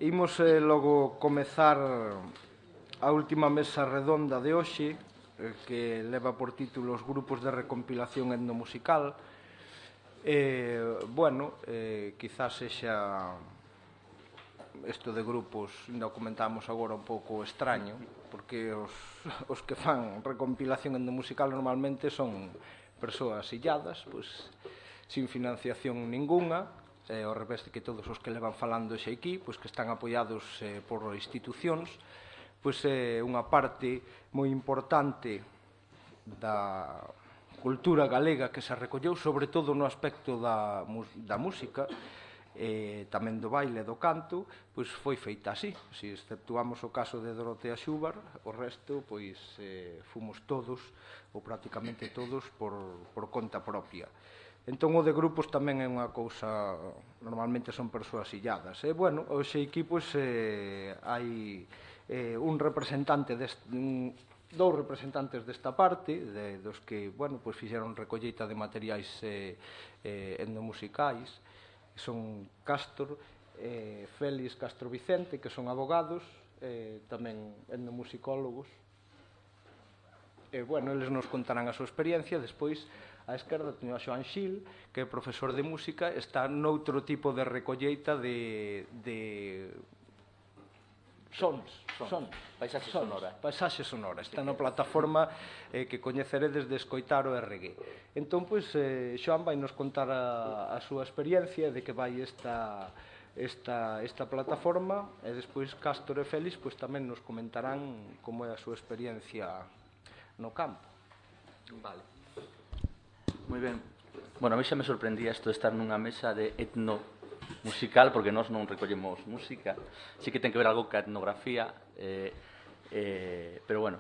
Imos logo comezar a última mesa redonda de hoxe, que leva por título os grupos de recompilación etnomusical. Quizás sexa isto de grupos, ainda o comentamos agora, un pouco extraño, porque os que fan recompilación etnomusical normalmente son persoas illadas, pois, sin financiación ningunha, ao revés de que todos os que levan falando xe aquí, pois que están apoiados por institucións, pois é unha parte moi importante da cultura galega que se recolleu, sobre todo no aspecto da música, tamén do baile e do canto, pois foi feita así. Se exceptuamos o caso de Dorotea Xubar, o resto, pois, fomos todos, ou prácticamente todos, por conta propia. Entón, o de grupos tamén é unha cousa, normalmente son persoas illadas. Hoxe aquí, pois, hai un representante dous representantes desta parte, dos que, pois fixeron recolleita de materiais etnomusicais, son Castro, Félix Castro Vicente, que son abogados, tamén etnomusicólogos. Eles nos contarán a súa experiencia. Despois, á esquerda, teño a Xoán Xil, que é profesor de música, está noutro tipo de recolleita de paisaxe sonora. Está na plataforma que coñeceredes de escoitar o RG. Entón, pois, Xoán vai nos contar a súa experiencia de que vai esta plataforma, e despois Castro e Félix pois tamén nos comentarán como é a súa experiencia no campo. Vale. Moi ben. Bueno, a mí xa me sorprendía isto de estar nunha mesa de etnomusical, porque nós non recollemos música. Sí que ten que ver algo ca etnografía, pero bueno,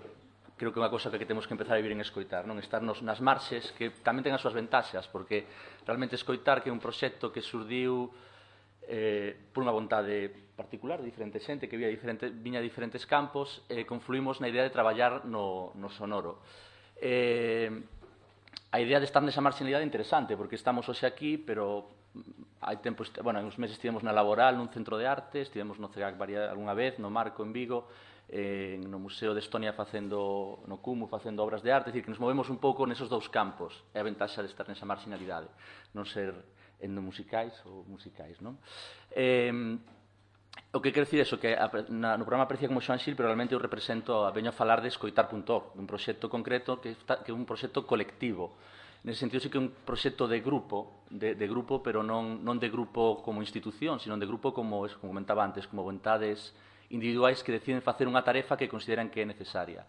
creo que é unha cosa que temos que empezar a vivir en escoitar, non estarnos nas marxes, que tamén ten as súas ventaxas, porque realmente escoitar, que é un proxecto que surdiu por unha vontade particular de diferente xente que viña de diferentes campos, confluímos na idea de traballar no sonoro. A idea de estar nesa marxinalidade é interesante, porque estamos hoxe aquí, pero hai tempo, hai uns meses estivemos na Laboral, nun centro de arte, estivemos no CEGAC algunha vez, no Marco en Vigo, no Museo de Estonia no CUMU facendo obras de arte, é dicir, que nos movemos un pouco nesos dous campos, é a ventaxa de estar nesa marxinalidade, non ser etnomusicais ou musicais, non? O que quero dicir é que no programa aparecía como Xoán Xil, pero realmente eu veño a falar de escoitar.org, dun proxecto concreto que é un proxecto colectivo. Nese sentido, sí que é un proxecto de grupo, pero non de grupo como institución, sino de grupo como comentaba antes, como vontades individuais que deciden facer unha tarefa que consideran que é necesaria.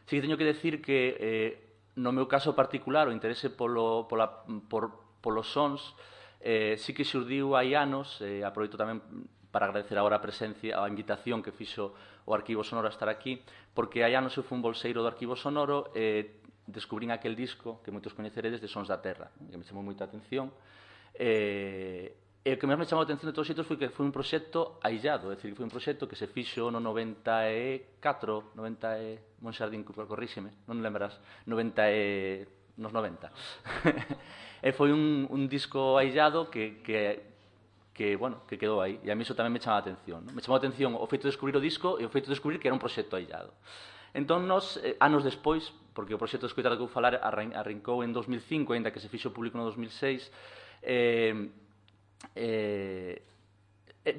Sí que teño que decir que, no meu caso particular, o interese polos sons, sí que xurdiu hai anos, aproveito tamén para agradecer agora a invitación que fixo o Arquivo Sonoro a estar aquí, porque hai anos eu fui un bolseiro do Arquivo Sonoro e descubrín aquel disco que moitos coñeceredes de Sons da Terra, que me chamou moita atención. E o que máis me chamou a atención de todos os xeitos foi que foi un proxecto aillado, é dicir, que foi un proxecto que se fixo no 94, Monxardín, corríxeme, non lembrás, nos 90. E foi un disco aillado que quedou aí, e a mí iso tamén me chama a atención. Me chamou a atención o feito de descubrir o disco e o feito de descubrir que era un proxecto aillado. Entón, nos, anos despois, porque o proxecto de escoitar que vou falar arrancou en 2005, ainda que se fixo público no 2006,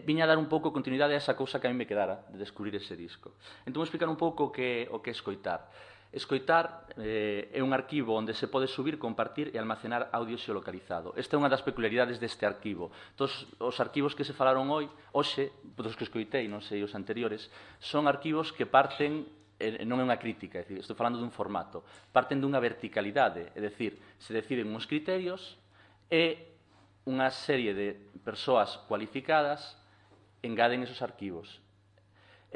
viña a dar un pouco continuidade a esa cousa que a mí me quedara de descubrir ese disco. Entón, vou explicar un pouco o que é escoitar. Escoitar é un arquivo onde se pode subir, compartir e almacenar audio xeolocalizado. Esta é unha das peculiaridades deste arquivo. Todos os arquivos que se falaron hoxe, dos que escoitei, non sei os anteriores, son arquivos que parten, non é unha crítica, é dicir, estou falando dun formato, parten dunha verticalidade, é dicir, se deciden uns criterios e unha serie de persoas cualificadas engaden esos arquivos.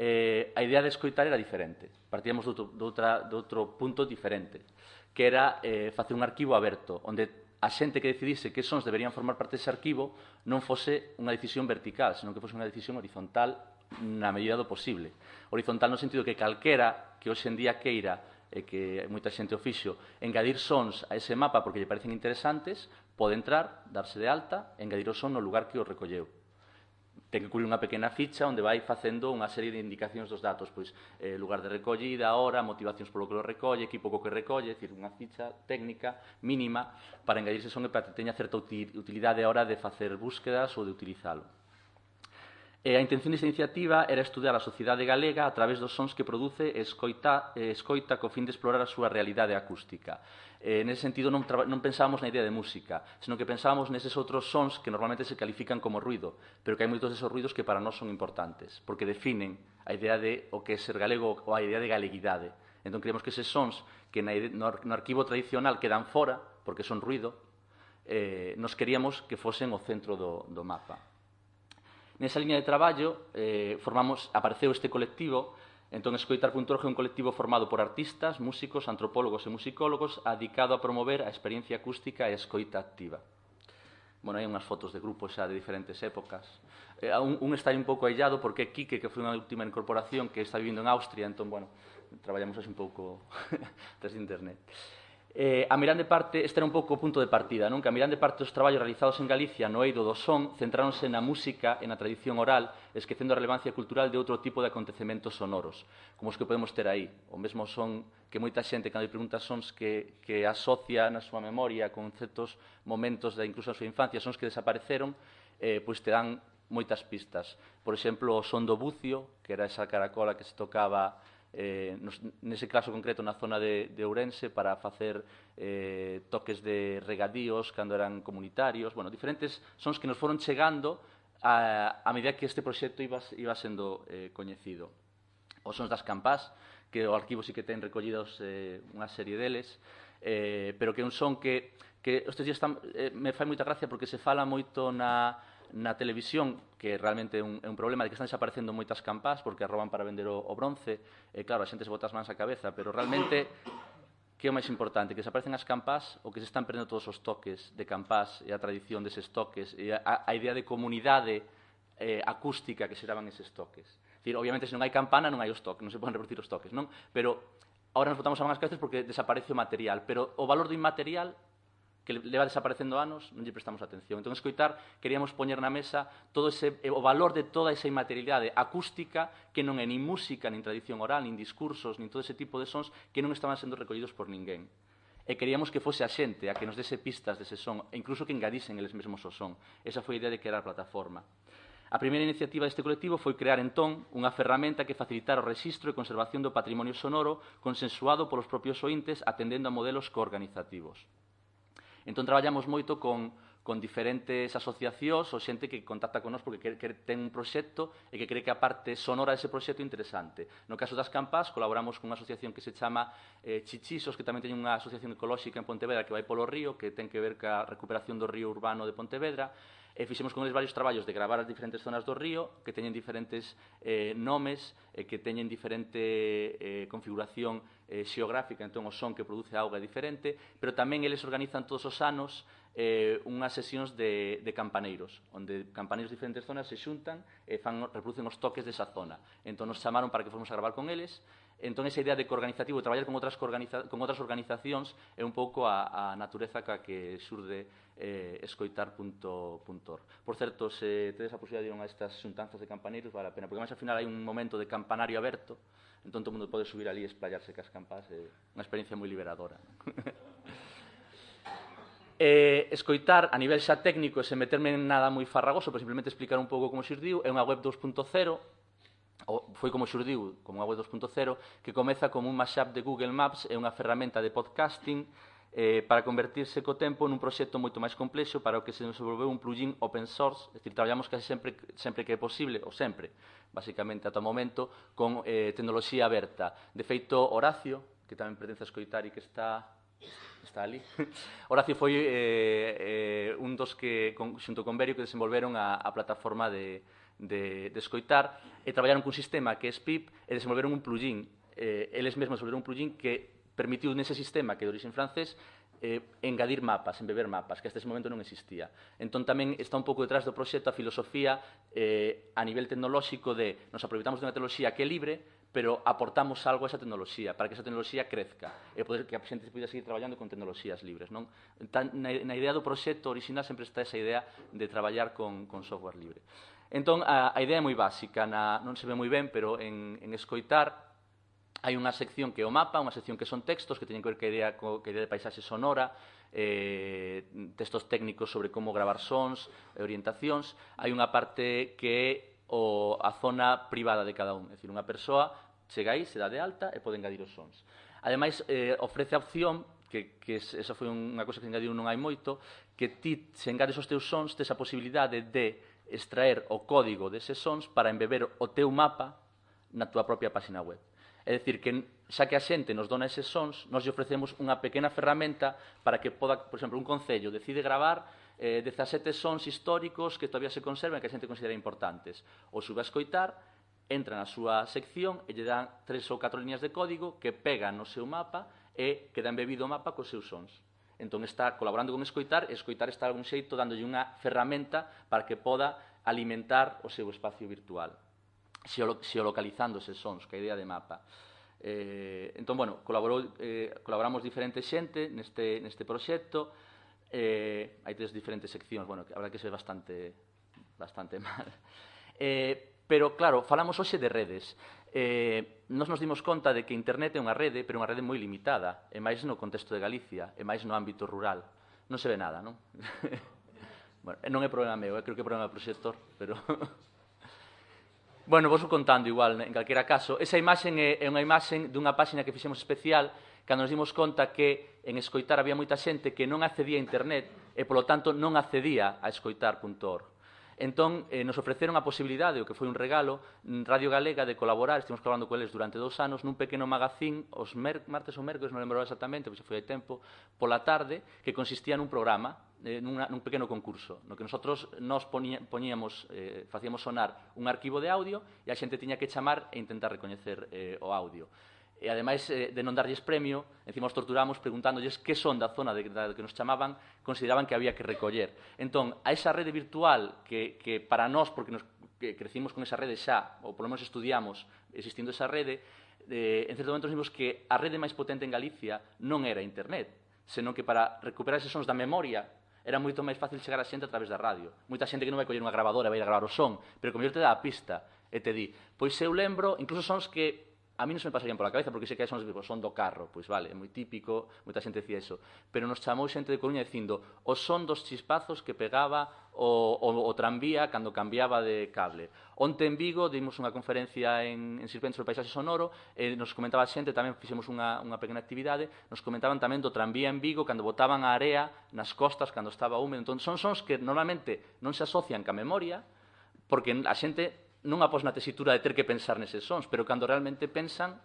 A idea de escoitar era diferente. Partíamos de outro punto diferente, que era facer un arquivo aberto, onde a xente que decidise que sons deberían formar parte dese arquivo non fose unha decisión vertical, senón que fose unha decisión horizontal na medida do posible. Horizontal no sentido que calquera que hoxe en día queira, e que moita xente o fixo, engadir sons a ese mapa porque lle parecen interesantes, pode entrar, darse de alta e engadir o son no lugar que o recolleu. ten que cubrir unha pequena ficha onde vai facendo unha serie de indicacións dos datos, pois lugar de recollida, hora, motivacións polo que lo recolle, equipo co que recolle, é dicir, unha ficha técnica mínima para engadirse son e para que teña certa utilidade a hora de facer búsquedas ou de utilizalo. A intención desta iniciativa era estudar a sociedade galega a través dos sons que produce e escoita co fin de explorar a súa realidade acústica. Nese sentido, non pensábamos na idea de música, senón que pensábamos neses outros sons que normalmente se califican como ruido, pero que hai moitos desos ruidos que para nós son importantes, porque definen a idea de o que é ser galego ou a idea de galeguidade. Entón, creemos que eses sons que no arquivo tradicional quedan fora, porque son ruido, nos queríamos que fosen o centro do mapa. Nesa liña de traballo apareceu este colectivo. Entón, Escoitar.org é un colectivo formado por artistas, músicos, antropólogos e musicólogos dedicado a promover a experiencia acústica e a escoita activa. Bueno, hai unhas fotos de grupos xa de diferentes épocas. Un está un pouco aillado porque Quique, que foi unha última incorporación que está vivindo en Austria, entón, bueno, traballamos así un pouco desde internet. A mirande parte, este era un pouco o punto de partida, non? Que a mirande parte dos traballos realizados en Galicia no eido do son centráronse na música e na tradición oral, esquecendo a relevancia cultural de outro tipo de acontecementos sonoros, como os que podemos ter aí. O mesmo son que moita xente, cando lle pregunta sons que asocia na súa memoria con certos momentos incluso na súa infancia, sons que desapareceron, pois te dan moitas pistas. Por exemplo, o son do bucio, que era esa caracola que se tocaba nese caso concreto na zona de Ourense para facer toques de regadíos cando eran comunitarios, bueno, diferentes sons que nos foron chegando a medida que este proxecto iba sendo coñecido. Os sons das campás, que o arquivo sí que ten recollidos unha serie deles, pero que é un son que estes días me fai moita gracia porque se fala moito na televisión, que realmente é un problema de que están desaparecendo moitas campás porque as roban para vender o bronce, e claro, a xente se bota as mans á cabeza, pero realmente que é o máis importante? Que desaparecen as campás ou que se están perdendo todos os toques de campás e a tradición deses toques e a idea de comunidade acústica que xeraban eses toques. Dicir, obviamente, se non hai campana non hai os toques, non se poden reproducir os toques, non? Pero agora nos botamos a mans as cabezas porque desaparece o material, pero o valor do inmaterial que leva desaparecendo anos, non lle prestamos atención. Entón, Escoitar, queríamos poñer na mesa o valor de toda esa inmaterialidade acústica que non é nin música, nin tradición oral, nin discursos, nin todo ese tipo de sons que non estaban sendo recollidos por ninguén. E queríamos que fose a xente a que nos dese pistas dese son, e incluso que engadisen eles mesmos o son. Esa foi a idea de crear a plataforma. A primeira iniciativa deste colectivo foi crear, entón, unha ferramenta que facilitara o rexistro e conservación do patrimonio sonoro consensuado polos propios ointes atendendo a modelos coorganizativos. Entón, traballamos moito con diferentes asociacións ou xente que contacta con nós porque ten un proxecto e que cree que a parte sonora dese proxecto é interesante. No caso das campás, colaboramos con unha asociación que se chama Chichisos, que tamén ten unha asociación ecolóxica en Pontevedra que vai polo río, que ten que ver ca recuperación do río urbano de Pontevedra, e fixemos con eles varios traballos de gravar as diferentes zonas do río, que teñen diferentes nomes, que teñen diferente configuración xeográfica, entón o son que produce a auga é diferente, pero tamén eles organizan todos os anos unhas sesións de campaneiros, onde campaneiros de diferentes zonas se xuntan e reproducen os toques desa zona. Entón nos chamaron para que fomos a gravar con eles. Entón esa idea de coorganizativo, de traballar con outras organizacións, é un pouco a natureza ca que xurde Escoitar.org. Por certo, se tedes a posibilidade de ir a estas xuntanzas de campaneiros, vale a pena, porque máis ao final hai un momento de campanario aberto, entón todo o mundo pode subir ali e esplayarse cas campás, é unha experiencia moi liberadora. Escoitar a nivel xa técnico, sen meterme en nada moi farragoso, pero simplemente explicar un pouco como xurdiu, é unha web 2.0, foi como xurdiu, como unha web 2.0, que comeza como un mashup de Google Maps e unha ferramenta de podcasting para convertirse co tempo nun proxecto moito máis complexo para o que se desenvolveu un plugin open source, é dicir, traballamos case sempre que é posible, ou sempre, basicamente, ata o momento, con tecnoloxía aberta. De feito, Horacio, que tamén pertence a Escoitar e que está ali, Horacio foi un dos que, xunto con Berio, que desenvolveron a plataforma de Escoitar e traballaron cun sistema que é SPIP e desenvolveron un plugin, eles mesmos desenvolveron un plugin que permitiu nese sistema que é de origen francés engadir mapas, embeber mapas, que hasta ese momento non existía. Entón tamén está un pouco detrás do proxecto a filosofía a nivel tecnolóxico de nos aproveitamos dunha tecnoloxía que é libre, pero aportamos algo a esa tecnoloxía para que esa tecnoloxía crezca e poder que a xente poida seguir traballando con tecnoloxías libres, non? Na idea do proxecto original sempre está esa idea de traballar con software libre. Entón, a idea é moi básica, non se ve moi ben, pero en escoitar hai unha sección que é o mapa, unha sección que son textos que teñen que ver que idea de paisaxe sonora, textos técnicos sobre como gravar sons, orientacións. Hai unha parte que é a zona privada de cada un, é dicir, unha persoa chega aí, se dá de alta e pode engadir os sons. Ademais, ofrece a opción, que esa foi unha cousa que engadiu non hai moito, que ti, se engades os teus sons, tes a posibilidade de extraer o código deses sons para embeber o teu mapa na túa propia página web. É dicir, que xa que a xente nos dona eses sons, nos lle ofrecemos unha pequena ferramenta para que poda, por exemplo, un concello decide gravar 17 sons históricos que todavía se conservan e que a xente considera importantes. O sube a escoitar, entra na súa sección e lle dan 3 ou 4 líneas de código que pegan no seu mapa e queda embebido o mapa cos seus sons. Entón está colaborando con escoitar e escoitar está de algún xeito dándolle unha ferramenta para que poda alimentar o seu espacio virtual, xeolocalizando eses sons, que a idea de mapa. Entón, bueno, colaboramos diferente xente neste proxecto, hai 3 diferentes seccións, bueno, que a verdade que se ve bastante mal. Pero, claro, falamos hoxe de redes. Nos dimos conta de que Internet é unha rede, pero unha rede moi limitada, e máis no contexto de Galicia, e máis no ámbito rural. Non se ve nada, non? Bueno, non é problema meu, creo que é problema do proxector, pero... Bueno, vos contando igual, en calquera caso. Esa imaxen é unha imaxen dunha páxina que fixemos especial cando nos dimos conta que en escoitar había moita xente que non accedía a Internet e, polo tanto, non accedía a escoitar.org. Entón, nos ofreceron a posibilidade, o que foi un regalo, Radio Galega, de colaborar, estivemos colaborando con eles durante 2 anos, nun pequeno magazín, os martes ou mércores, non lembro exactamente, pois foi hai tempo, pola tarde, que consistía nun programa, nun pequeno concurso, no que nos facíamos sonar un arquivo de audio e a xente tiña que chamar e intentar recoñecer o audio. E, ademais de non darlles premio, encima os torturamos preguntándolles que son da zona da que nos chamaban, consideraban que había que recoller. Entón, a esa rede virtual que para nós, porque que crecimos con esa rede xa, ou polo menos estudiamos existindo esa rede, en certo momento nos vimos que a rede máis potente en Galicia non era Internet, senón que para recuperar eses sons da memoria era moito máis fácil chegar a xente a través da radio. Moita xente que non vai coller unha grabadora e vai a gravar o son, pero como eu te dá a pista e te di, pois eu lembro, incluso sons que a mí non se me pasarían pola cabeza, porque sei que son do carro, pois vale, é moi típico, moita xente decía eso, pero nos chamou xente de Coruña dicindo o son dos chispazos que pegaba o tranvía cando cambiaba de cable. Onte en Vigo dimos unha conferencia en Sirventes do Paisaxe Sonoro e nos comentaba a xente, tamén fixemos unha pequena actividade, nos comentaban tamén do tranvía en Vigo cando botaban a area nas costas cando estaba húmedo. Entón, son sons que normalmente non se asocian ca memoria, porque a xente non após na tesitura de ter que pensar neses sons, pero cando realmente pensan,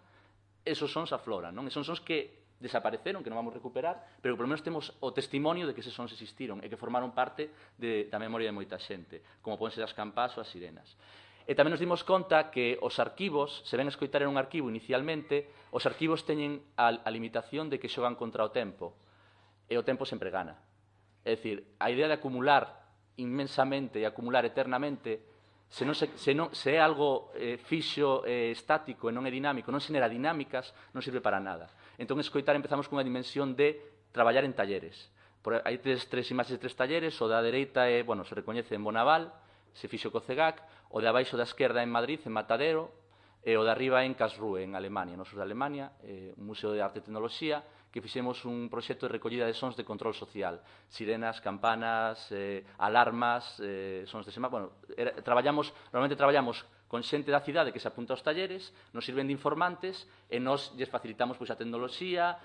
esos sons afloran, non? E son sons que desapareceron, que non vamos recuperar, pero que polo menos temos o testimonio de que eses sons existiron e que formaron parte da memoria de moita xente, como poden ser as campás ou as sirenas. E tamén nos dimos conta que os arquivos, se ven a escoitar en un arquivo inicialmente, os arquivos teñen a limitación de que xogan contra o tempo, e o tempo sempre gana. É dicir, a idea de acumular inmensamente e acumular eternamente, se é algo fixo, estático e non é dinámico, non xenera dinámicas, non sirve para nada. Entón, escoitar empezamos cunha dimensión de traballar en talleres. Hai 3 imaxes de 3 talleres, o da dereita se recoñece en Bonaval, se fixo co CEGAC, o de abaixo da esquerda en Madrid, en Matadero, e o de arriba en Karlsruhe, en Alemania, nosos de Alemania, un museo de arte e tecnoloxía, que fixemos un proxecto de recollida de sons de control social. Sirenas, campanas, alarmas, sons de sema... Bueno, normalmente traballamos con xente da cidade que se apunta aos talleres, nos sirven de informantes e nos lles facilitamos a tecnoloxía,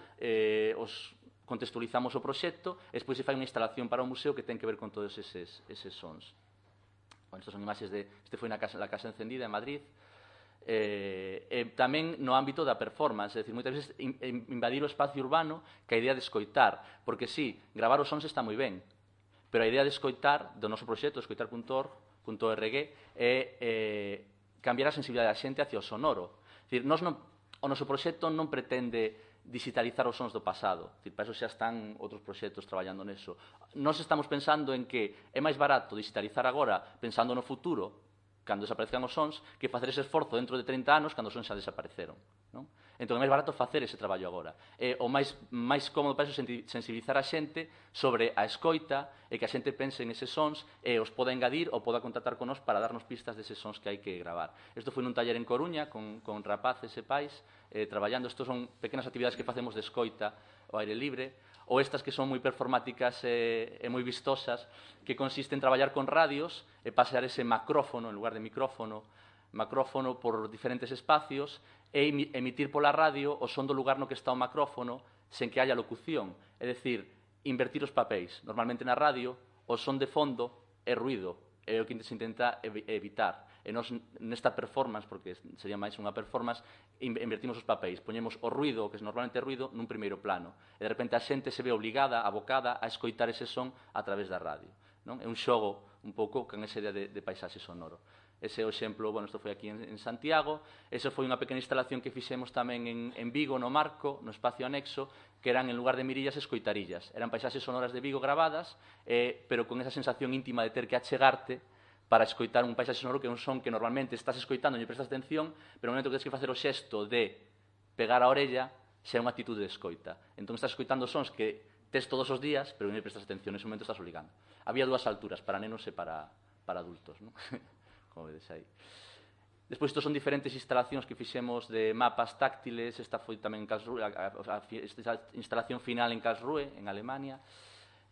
os contextualizamos o proxecto e despois se fai unha instalación para o museo que ten que ver con todos eses sons. Bueno, estas son imaxes este foi na Casa Encendida en Madrid. Tamén no ámbito da performance, é dicir, moitas veces invadir o espacio urbano que a idea de escoitar, porque sí, gravar os sons está moi ben, pero a idea de escoitar do noso proxecto, escoitar.org, é cambiar a sensibilidade da xente hacia o sonoro. É dicir, o noso proxecto non pretende digitalizar os sons do pasado, é dicir, para iso xa están outros proxectos traballando neso. Nós estamos pensando en que é máis barato digitalizar agora pensando no futuro, cando desaparezcan os sons, que facer ese esforzo dentro de 30 anos cando os sons xa desapareceron, non? Entón, é máis barato facer ese traballo agora. O máis cómodo para iso sensibilizar a xente sobre a escoita e que a xente pense en eses sons e os poda engadir ou poda contactar con nós para darnos pistas deses sons que hai que gravar. Isto foi nun taller en Coruña con rapaces e pais traballando. Estos son pequenas actividades que facemos de escoita ao aire libre, ou estas que son moi performáticas e moi vistosas, que consiste en traballar con radios e pasear ese macrófono en lugar de macrófono por diferentes espacios e emitir pola radio o son do lugar no que está o macrófono sen que haya locución. É dicir, invertir os papéis. Normalmente na radio o son de fondo é ruido, é o que se intenta evitar. E nós nesta performance, porque sería máis unha performance, invertimos os papéis, poñemos o ruido, que normalmente é ruido, nun primeiro plano. E de repente a xente se ve obligada, abocada a escoitar ese son a través da radio. Non? É un xogo un pouco con esa idea de paisaxe sonoro. Ese é o exemplo, bueno, isto foi aquí en Santiago, esa foi unha pequena instalación que fixemos tamén en Vigo, no Marco, no espacio anexo, que eran, en lugar de mirillas, escoitarillas. Eran paisaxes sonoras de Vigo gravadas, pero con esa sensación íntima de ter que achegarte para escoitar un paisaxe sonoro que é un son que normalmente estás escoitando e prestas atención, pero no momento que tens que facer o xesto de pegar a orella, xa é unha actitude de escoita. Entón estás escoitando sons que tes todos os días, pero non prestas atención, nese momento estás obligando. Había dúas alturas, para nenos e para adultos, non? Como vedes aí. Despois, estos son diferentes instalacións que fixemos de mapas táctiles. Esta foi tamén en Karlsruhe, esta instalación final en Karlsruhe, en Alemania,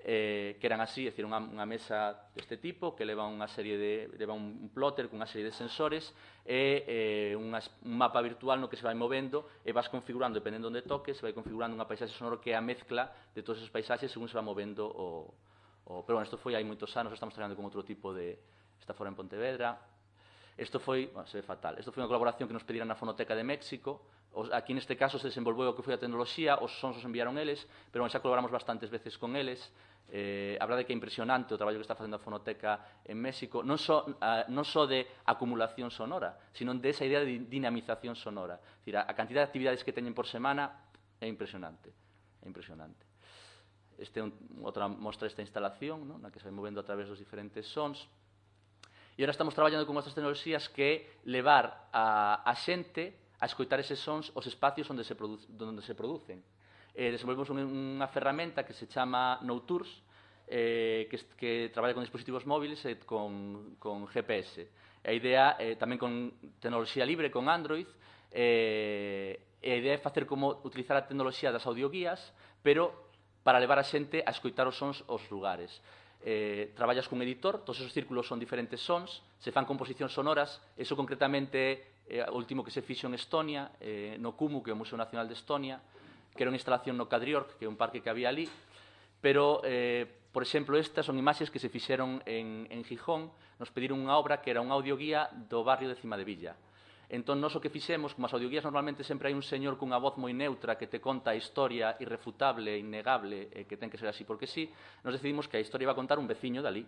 que eran así, é dicir, unha mesa deste tipo, que leva unha serie leva un plotter con unha serie de sensores e un mapa virtual no que se vai movendo e vas configurando, dependendo onde toques, se vai configurando unha paisaxe sonoro que é a mezcla de todos esos paisaxes según se va movendo pero bueno, isto foi hai moitos anos, estamos traballando con outro tipo de... Está fora en Pontevedra. Isto foi, bueno, se ve fatal, isto foi unha colaboración que nos pediran na Fonoteca de México. Aquí neste caso se desenvolveu o que foi a tecnoloxía, os sons os enviaron eles, pero xa colaboramos bastantes veces con eles. A verdade é que é impresionante o traballo que está facendo a Fonoteca en México, non só de acumulación sonora, sino de esa idea de dinamización sonora. É dicir, a cantidad de actividades que teñen por semana é impresionante. É impresionante. Este é outra mostra desta instalación, ¿no? Na que se vai movendo a través dos diferentes sons. E agora estamos traballando con outras tecnoloxías que levar a xente a escoitar eses sons os espacios onde se producen. Desenvolvemos unha ferramenta que se chama NoTours, que traballa con dispositivos móviles e con GPS. A idea, tamén con tecnoloxía libre, con Android, a idea é facer como utilizar a tecnoloxía das audioguías, pero para levar a xente a escoitar os sons aos lugares. Traballas cun editor, todos esos círculos son diferentes sons, se fan composicións sonoras, eso concretamente o último que se fixo en Estonia, no KUMU, que é o Museo Nacional de Estonia, que era unha instalación no Kadriorg, que é un parque que había ali, pero, por exemplo, estas son imaxes que se fixeron en Gijón, nos pediron unha obra que era unha audioguía do barrio de Cima de Villa. Entón, nós o que fixemos, como as audioguías normalmente sempre hai un señor cunha voz moi neutra que te conta a historia irrefutable, innegable, que ten que ser así porque sí, nos decidimos que a historia iba a contar un veciño dali,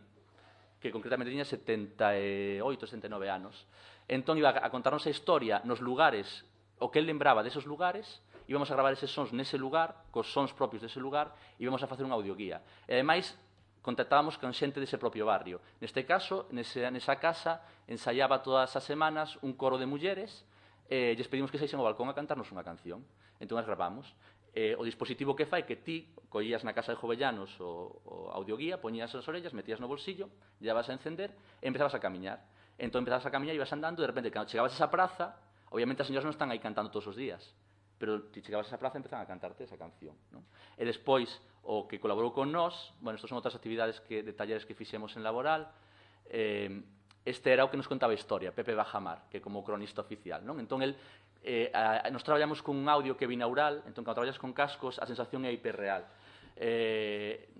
que concretamente tiña 78, 79 anos. Entón, iba a contarnos a historia nos lugares, o que él lembraba desos lugares, íbamos a gravar eses sons nese lugar, cos sons propios dese lugar, e íbamos a facer unha audioguía. E, ademais, contactábamos con xente dese propio barrio. Neste caso, nesa casa, ensaiaba todas as semanas un coro de mulleres e lles pedimos que saísen ao balcón a cantarnos unha canción. Entón, as gravamos. O dispositivo que fai que ti collías na casa de Jovellanos o audioguía, poñías as orellas, metías no bolsillo, lle vas a encender e empezabas a camiñar. Entón, empezabas a camiñar e ibas andando e, de repente, cando chegabas a esa praza, obviamente as señoras non están aí cantando todos os días, pero ti chegabas a esa praza e empezaban a cantarte esa canción, non? E despois, o que colaborou con nós, bueno, estos son outras actividades de talleres que fixemos en Laboral, este era o que nos contaba a historia, Pepe Bajamar, que é como cronista oficial, non? Entón, nos traballamos cun audio que é binaural, entón, cando traballas con cascos, a sensación é hiperreal.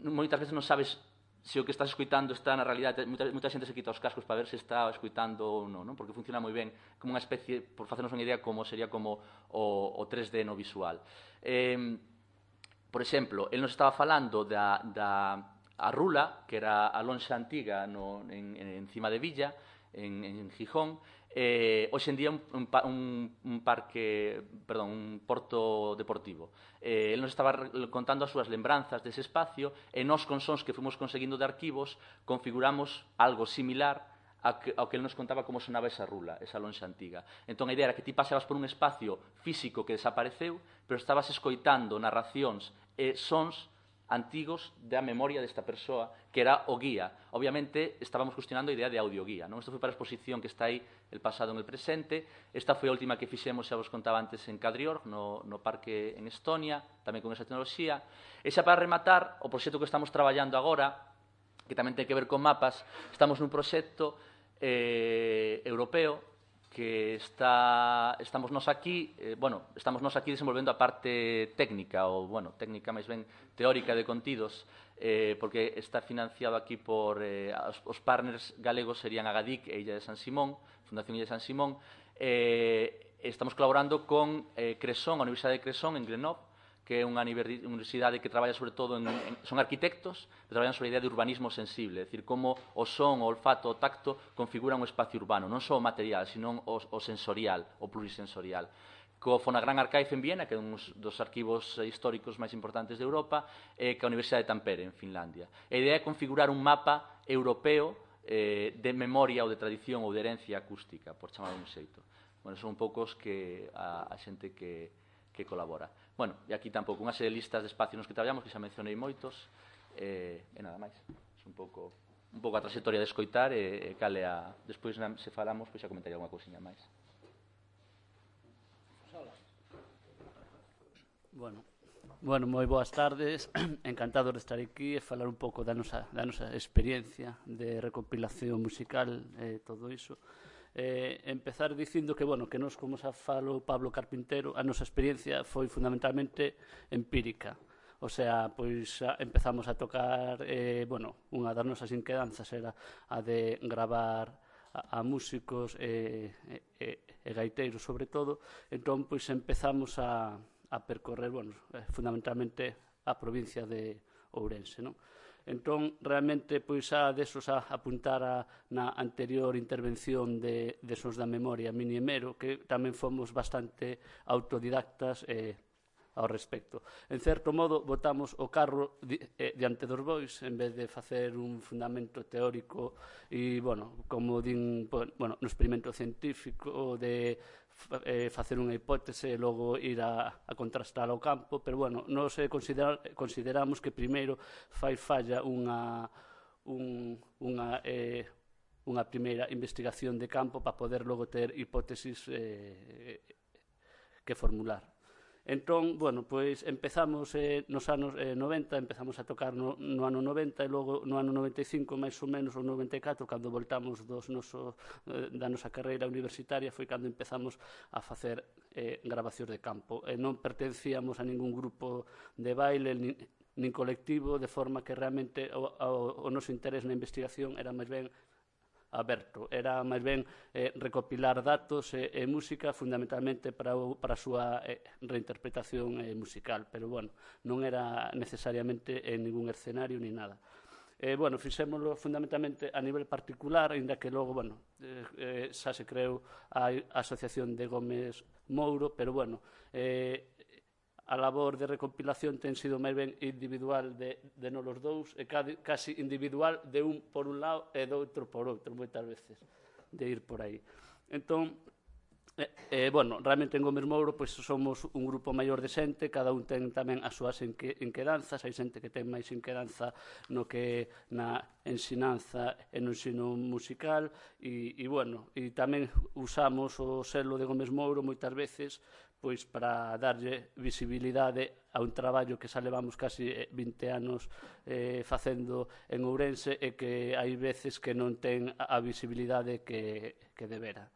Moitas veces non sabes se o que estás escuitando está na realidade. Moita xente se quita os cascos para ver se está escuitando ou non, porque funciona moi ben, como unha especie, por facernos unha idea, como sería como o 3D no visual. Por exemplo, el nos estaba falando da Rula, que era a lonxa antiga en Cima de Villa, en Gijón. Hoxe en día un porto deportivo. El nos estaba contando as súas lembranzas dese espacio e nós, con sons que fomos conseguindo de arquivos, configuramos algo similar ao que ele nos contaba como sonaba esa rula, esa lonxa antiga. Entón, a idea era que ti pasabas por un espacio físico que desapareceu, pero estabas escoitando narracións e sons antigos da memoria desta persoa, que era o guía. Obviamente, estábamos cuestionando a idea de audioguía, non? Isto foi para a exposición que está aí, el pasado en el presente. Esta foi a última que fixemos, xa vos contaba antes, en Kadriorg, no parque en Estonia, tamén con esa tecnoloxía. E xa para rematar, o proxecto que estamos traballando agora, que tamén ten que ver con mapas, estamos nun proxecto europeo que estamos nos aquí desenvolvendo a parte técnica, ou, técnica máis ben teórica de contidos, porque está financiado aquí por os partners galegos serían Agadic e Illa de San Simón, Fundación Illa de San Simón. Estamos colaborando con Cresson, a Universidade de Cresson, en Grenoble, que é unha universidade que traballa sobre todo son arquitectos que traballan sobre a idea de urbanismo sensible, é dicir, como o son, o olfato, o tacto configuran un espacio urbano, non só o material, sino o sensorial, o plurisensorial. Co Fonogram Archive en Viena, que é un dos arquivos históricos máis importantes de Europa, e ca Universidade de Tampere, en Finlandia. A idea é configurar un mapa europeo de memoria ou de tradición ou de herencia acústica, por chamar un xeito. Son un pouco os que a xente que colabora. E aquí tampouco unha serie de listas de espacios nos que traballamos, que xa mencionei moitos, e nada máis. É un pouco a trayectoria de escoitar e cale a... Despois, se falamos, xa comentaría alguna cousiña máis. Bueno, moi boas tardes. Encantado de estar aquí e falar un pouco da nosa experiencia de recompilación musical e todo iso. Empezar dicindo que nos, como xa falo Pablo Carpintero, a nosa experiencia foi fundamentalmente empírica. O sea, pois empezamos a tocar, unha das nosas inquedanzas era a de gravar a músicos e gaiteiros, sobre todo. Entón, pois empezamos a percorrer, fundamentalmente a provincia de Ourense, non? Entón, realmente, pois, desos a apuntar na anterior intervención de Sons da Memoria, Mini e Mero, que tamén fomos bastante autodidactas ao respecto. En certo modo, botamos o carro diante dos bois, en vez de facer un fundamento teórico e, como din, no experimento científico, de facer unha hipótese e logo ir a contrastar ao campo, pero, nos consideramos que primeiro fai falla unha primeira investigación de campo para poder logo ter hipótesis que formular. Entón, pois empezamos nos anos 90, empezamos a tocar no ano 90 e logo no ano 95, máis ou menos, ou 94, cando voltamos da nosa carreira universitaria, foi cando empezamos a facer grabacións de campo. Non pertencíamos a ningún grupo de baile, nin colectivo, de forma que realmente o noso interés na investigación era máis ben aberto, era máis ben recopilar datos e música fundamentalmente para a súa reinterpretación musical, pero non era necesariamente en ningún escenario ni nada. Fixémoslo fundamentalmente a nivel particular, ainda que logo, xa se creou a Asociación de Gómez Mouro, pero a labor de recompilación ten sido máis ben individual de nolos dous, e casi individual de un por un lado e do outro por outro, moitas veces, de ir por aí. Entón, realmente en Gómez Mouro somos un grupo maior de xente, cada un ten tamén as súas inquedanzas, hai xente que ten máis inquedanza no que na ensinanza e no ensino musical, e tamén usamos o selo de Gómez Mouro moitas veces pois para darlle visibilidade a un traballo que xa levamos casi 20 anos facendo en Ourense e que hai veces que non ten a visibilidade que debera.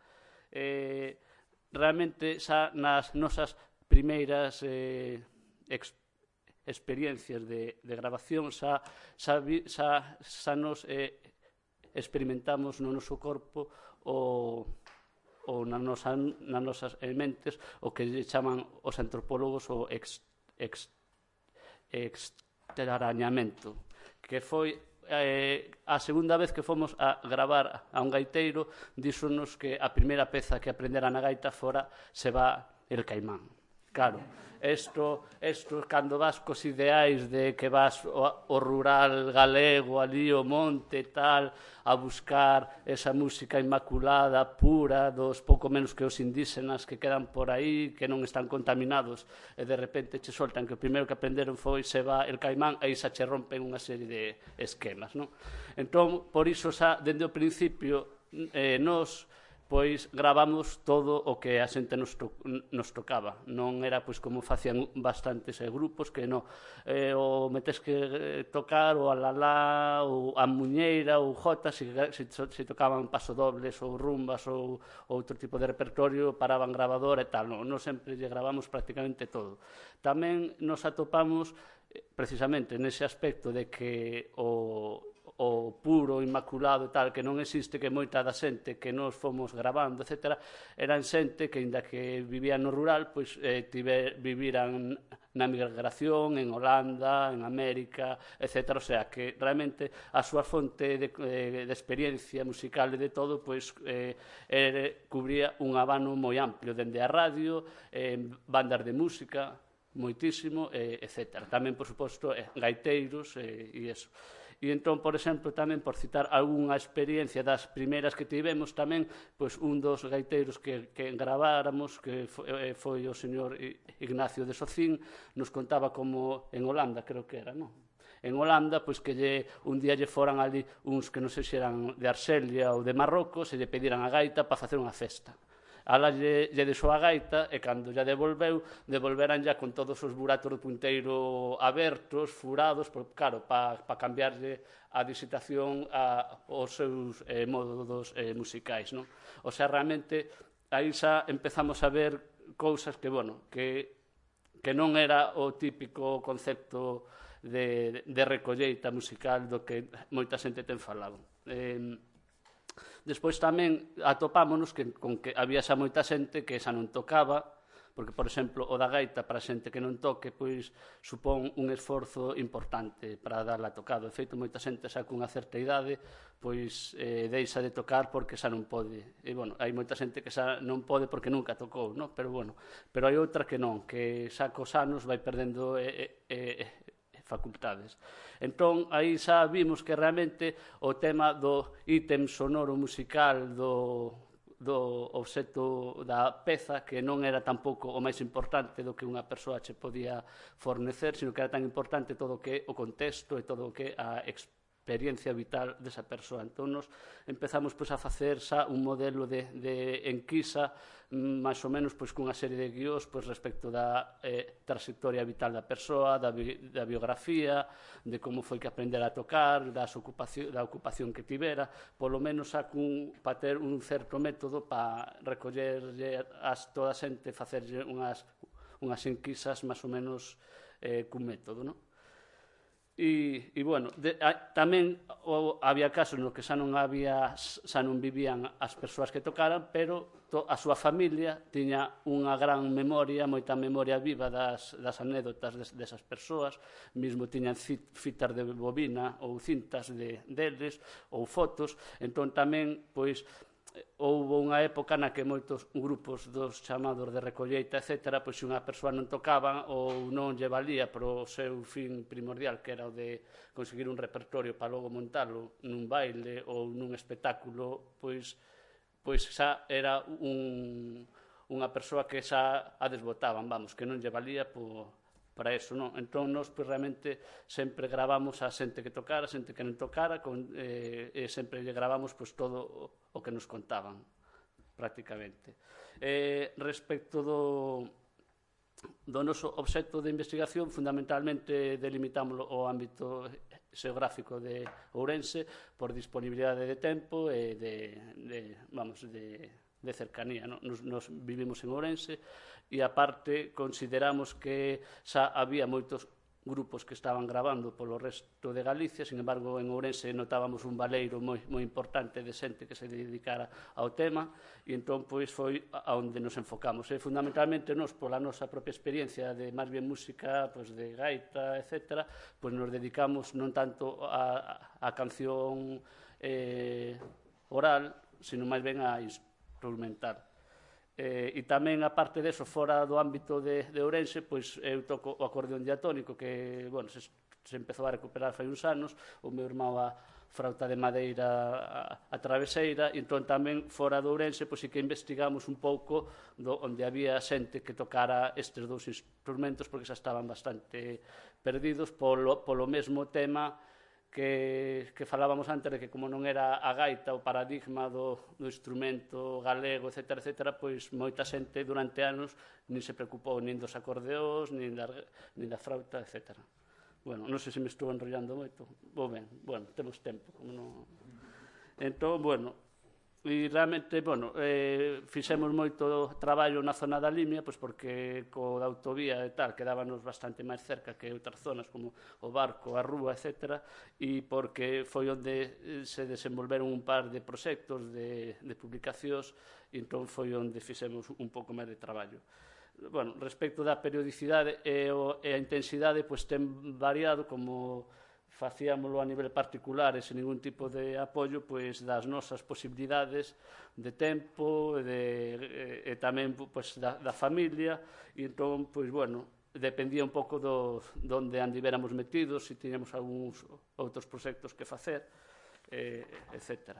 Realmente, xa nas nosas primeiras experiencias de grabación xa nos experimentamos no noso corpo ou nas nosas mentes o que chaman os antropólogos o extrañamento, que foi a segunda vez que fomos a gravar a un gaiteiro, díxonos que a primeira peza que aprendera na gaita fora Se va el caimán, claro, isto cando vas cos ideais de que vas ao rural galego, ali ao monte e tal, a buscar esa música inmaculada, pura, dos pouco menos que os indígenas que quedan por aí, que non están contaminados, e de repente che soltan que o primeiro que aprenderon foi Se va el caimán, e xa che rompen unha serie de esquemas, non? Entón, por iso, xa, dende o principio, nos pois gravamos todo o que a xente nos tocaba. Non era pois como facían bastantes grupos que o metes que tocar o alalá, ou a muñeira, ou jota, se tocaban pasodobles ou rumbas ou outro tipo de repertorio, paraban grabadora e tal. Non sempre lle gravamos prácticamente todo. Tamén nos atopamos precisamente nese aspecto de que o puro, inmaculado e tal, que non existe, que moita da xente que nos fomos gravando, etc., eran xente que, inda que vivían no rural, pois viviran na migración, en Holanda, en América, etc. O sea, que realmente a súa fonte de experiencia musical e de todo, pois cubría un abano moi amplio, dende a radio, bandas de música, moitísimo, etc. Tamén, por suposto, gaiteiros e iso. E entón, por exemplo, tamén por citar algunha experiencia das primeiras que tivemos, tamén, pois, un dos gaiteiros que graváramos, que foi o señor Ignacio de Socin, nos contaba como en Holanda, creo que era, non? En Holanda, pois que un día lle foran ali uns que non sei se eran de Arxelia ou de Marrocos e lle pediran a gaita para facer unha festa. Ala lle deixou a gaita e cando lla devolveran ya con todos os buratos do punteiro abertos, furados, claro, para cambiarlle a disitación aos seus modos musicais, non? O sea, realmente, aí xa empezamos a ver cousas que, bueno, que non era o típico concepto de recolleita musical do que moita xente ten falado. Despois tamén atopámonos con que había xa moita xente que xa non tocaba, porque, por exemplo, o da gaita para xente que non toque, pois supón un esforzo importante para darla tocado. De feito, moita xente xa cunha certa idade pois deixa de tocar porque xa non pode. E, bueno, hai moita xente que xa non pode porque nunca tocou, non? Pero, bueno, pero hai outra que non, que xa cos anos vai perdendo facultades. Entón, aí xa vimos que realmente o tema do ítem sonoro musical do obxecto da peza, que non era tampouco o máis importante do que unha persoa che podía fornecer, sino que era tan importante todo o que o contexto e todo o que a experiencia vital desa persoa. Entón, nos empezamos a facer xa un modelo de enquisa máis ou menos cunha serie de guións respecto da trayectoria vital da persoa, da biografía, de como foi que aprendera a tocar, da ocupación que tivera, polo menos para ter un certo método para recollerlle a toda a xente, facerlle unhas enquisas máis ou menos cun método, non? E, bueno, tamén había casos nos que xa non vivían as persoas que tocaran, pero a súa familia tiña unha gran memoria, moita memoria viva das anécdotas desas persoas, mesmo tiñan fitas de bobina ou cintas deles, ou fotos. Entón tamén, pois, houve unha época na que moitos grupos dos chamados de recolleita, etc., pois se unha persoa non tocaba ou non lle valía pro seu fin primordial, que era o de conseguir un repertorio para logo montalo nun baile ou nun espectáculo, pois xa era unha persoa que xa a desbotaban, vamos, que non lle valía para eso, non? Entón, nós realmente sempre gravamos a xente que tocara, a xente que non tocara, e sempre lle gravamos todo o que nos contaban, prácticamente. Respecto do noso obxecto de investigación, fundamentalmente delimitámoslo o ámbito xeográfico de Ourense por disponibilidade de tempo e de cercanía. Nos vivimos en Ourense e, aparte, consideramos que xa había moitos grupos que estaban gravando polo resto de Galicia. Sin embargo, en Ourense notábamos un baleiro moi importante de xente que se dedicara ao tema, e entón foi a onde nos enfocamos. Fundamentalmente, nos, pola nosa propia experiencia de máis bien música, de gaita, etc., nos dedicamos non tanto a canción oral, sino máis ben a instrumental. E tamén, aparte deso, fora do ámbito de Ourense, pois eu toco o acordeón diatónico, que, bueno, se empezou a recuperar fai uns anos, o meu irmão a frauta de madeira a traveseira, e entón tamén fora do Ourense, pois sí que investigamos un pouco onde había xente que tocara estes dous instrumentos, porque xa estaban bastante perdidos polo mesmo tema que falábamos antes, de que como non era a gaita o paradigma do instrumento galego, etc., pois moita xente durante anos nin se preocupou nin dos acordeóns, nin da frauta, etc. Bueno, non sei se me estou enrollando moito. Ben, bueno, temos tempo. Entón, bueno, e realmente, bueno, fixemos moito traballo na zona da Limia, pois porque co da autovía e tal quedábanos bastante máis cerca que outras zonas como o Barco, a Rúa, etc., e porque foi onde se desenvolveron un par de proxectos de publicacións, e entón foi onde fixemos un pouco máis de traballo. Bueno, respecto da periodicidade e a intensidade, pois ten variado, como facíamoslo a nivel particular e sen ningún tipo de apoio, pois das nosas posibilidades de tempo e tamén pois da familia, e entón, pois, bueno, dependía un pouco donde andivéramos metidos, se tiñamos algúns outros proxectos que facer, etc.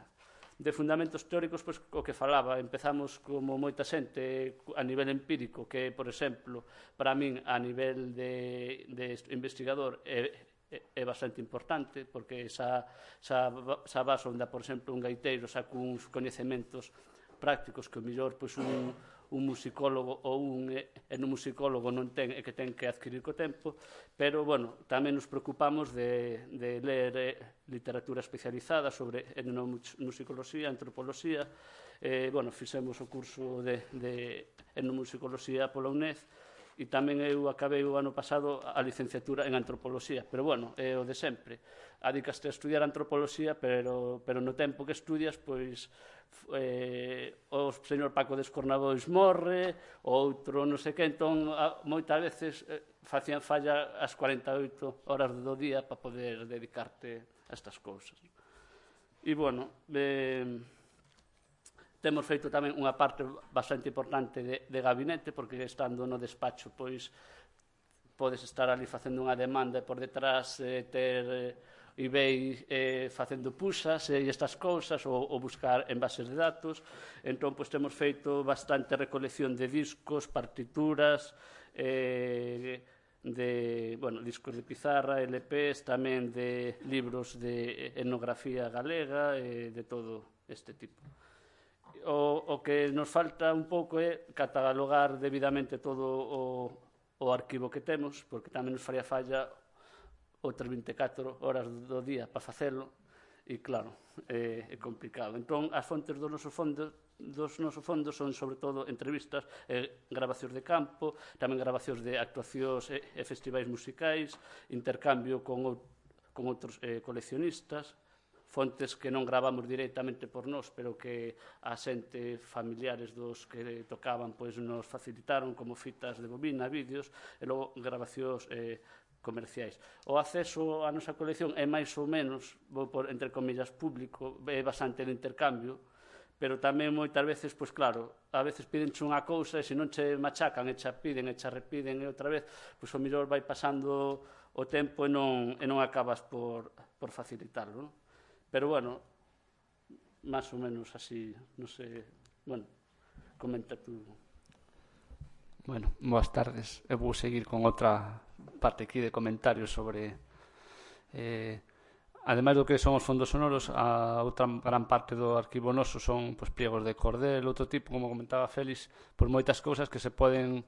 De fundamentos teóricos, pois, o que falaba, empezamos como moita xente a nivel empírico, que, por exemplo, para min, a nivel de investigador, é bastante importante, porque xa vas onde, por exemplo, un gaiteiro saca uns coñecementos prácticos que o mellor pois un musicólogo ou un etnomusicólogo non ten e que ten que adquirir co tempo, pero, bueno, tamén nos preocupamos de ler literatura especializada sobre etnomusicoloxía, antropoloxía. Bueno, fixemos o curso de etnomusicoloxía pola UNED, e tamén eu acabei o ano pasado a licenciatura en antropoloxía, pero, bueno, é o de sempre. Adicaste a estudiar antropoloxía, pero no tempo que estudias, pois, o señor Paco de Escornabois morre, o outro non sei que, entón, moitas veces facían falla as 48 horas do día para poder dedicarte a estas cousas. E, bueno, temos feito tamén unha parte bastante importante de gabinete, porque estando no despacho, pois, podes estar ali facendo unha demanda e por detrás ter eBay facendo puxas e estas cousas, ou buscar en bases de datos. Entón, pois, temos feito bastante recolección de discos, partituras, discos de pizarra, LPs, tamén de libros de etnografía galega, de todo este tipo. O que nos falta un pouco é catalogar debidamente todo o arquivo que temos, porque tamén nos faría falla outras 24 horas do día para facelo, e, claro, é complicado. Entón, as fontes dos nosos fondos son, sobre todo, entrevistas e grabacións de campo, tamén grabacións de actuacións e festivais musicais, intercambio con outros coleccionistas, fontes que non gravamos directamente por nós, pero que a xente familiares dos que tocaban pois nos facilitaron, como fitas de bobina, vídeos, e logo grabacións comerciais. O acceso á nosa colección é máis ou menos, vou por entre comillas, público, é bastante de intercambio, pero tamén moitas veces, pois claro, a veces pídenche unha cousa e se non che machacan e che piden e che repiden e outra vez, pois o mellor vai pasando o tempo e non acabas por facilitarlo, non? Pero, bueno, máis ou menos así, non sei, bueno, comenta tú. Bueno, boas tardes. Eu vou seguir con outra parte aquí de comentarios sobre... ademais do que son os fondos sonoros, a outra gran parte do arquivo noso son pliegos de cordel, outro tipo, como comentaba Félix, por moitas cousas que se poden